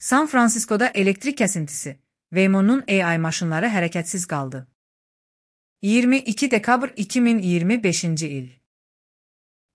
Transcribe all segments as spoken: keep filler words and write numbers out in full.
San Fransiskoda elektrik kəsintisi. Waymo'nun A I maşınları hərəkətsiz qaldı. iyirmi iki dekabr iki min iyirmi beşinci il.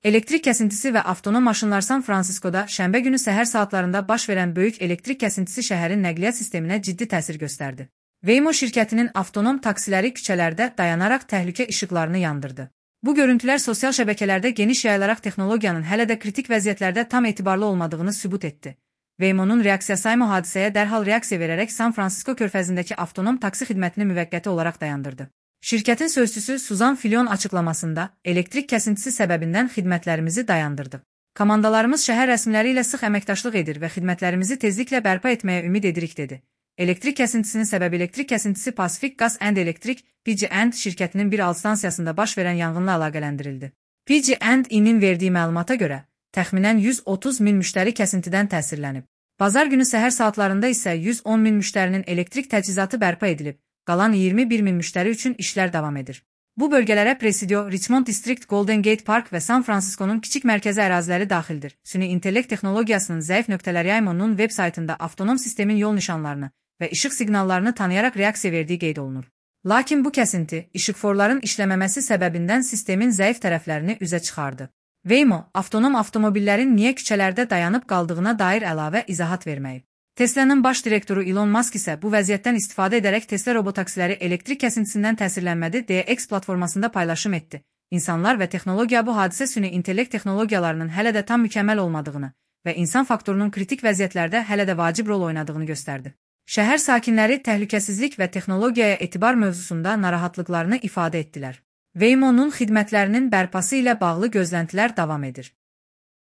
Elektrik kəsintisi və avtonom maşınlar San Fransiskoda şənbə günü səhər saatlarında baş verən böyük elektrik kəsintisi şəhərin nəqliyyat sisteminə ciddi təsir göstərdi. Waymo şirkətinin avtonom taksiləri küçələrdə dayanaraq təhlükə işıqlarını yandırdı. Bu görüntülər sosial şəbəkələrdə geniş yayılaraq texnologiyanın hələ də kritik vəziyyətlərdə tam etibarlı olmadığını sübut etdi. Waymo'nun reaksiyası Waymo hadisəyə dərhal reaksiya verərək San Fransisko körfəzindəki avtonom taksi xidmətini müvəqqəti olaraq dayandırdı. Şirkətin sözçüsü Suzan Filion açıqlamasında, elektrik kəsintisi səbəbindən xidmətlərimizi dayandırdıq. Komandalarımız şəhər rəsmiləri ilə sıx əməkdaşlıq edir və xidmətlərimizi tezliklə bərpa etməyə ümid edirik dedi. Elektrik kəsintisinin səbəbi elektrik kəsintisi Pacific Gas and Electric P G and şirkətinin bir alt stansiyasında baş verən yanğınla əlaqələndirildi. P G and E-nin verdiyi məlumata görə, təxminən yüz otuz min müştəri kəsintidən təsirlənib. Bazar günü səhər saatlarında isə yüz on min müştərinin elektrik təchizatı bərpa edilib, qalan iyirmi bir min müştəri üçün işlər davam edir. Bu bölgələrə Presidio, Richmond District, Golden Gate Park və San Francisco'nun kiçik mərkəzi əraziləri daxildir. Süni intellekt texnologiyasının zəif nöqtələri Waymo'nun veb saytında avtonom sistemin yol nişanlarını və işıq siqnallarını tanıyaraq reaksiya verdiyi qeyd olunur. Lakin bu kəsinti, işıqforların işləməməsi səbəbindən sistemin zəif tərəflərini üzə çıxardı. Waymo, avtonom avtomobillərin niyə küçələrdə dayanıb qaldığına dair əlavə izahat verməyib. Tesla'nın baş direktoru Elon Musk isə bu vəziyyətdən istifadə edərək Tesla robotaksiləri elektrik kəsintisindən təsirlənmədi deyə X platformasında paylaşım etdi. İnsanlar və texnologiya bu hadisə süni intellekt texnologiyalarının hələ də tam mükəmməl olmadığını və insan faktorunun kritik vəziyyətlərdə hələ də vacib rol oynadığını göstərdi. Şəhər sakinləri təhlükəsizlik və texnologiyaya etibar mövzusunda narahatlıqlarını ifadə etdilər. Waymo'nun xidmətlərinin bərpası ilə bağlı gözləntilər davam edir.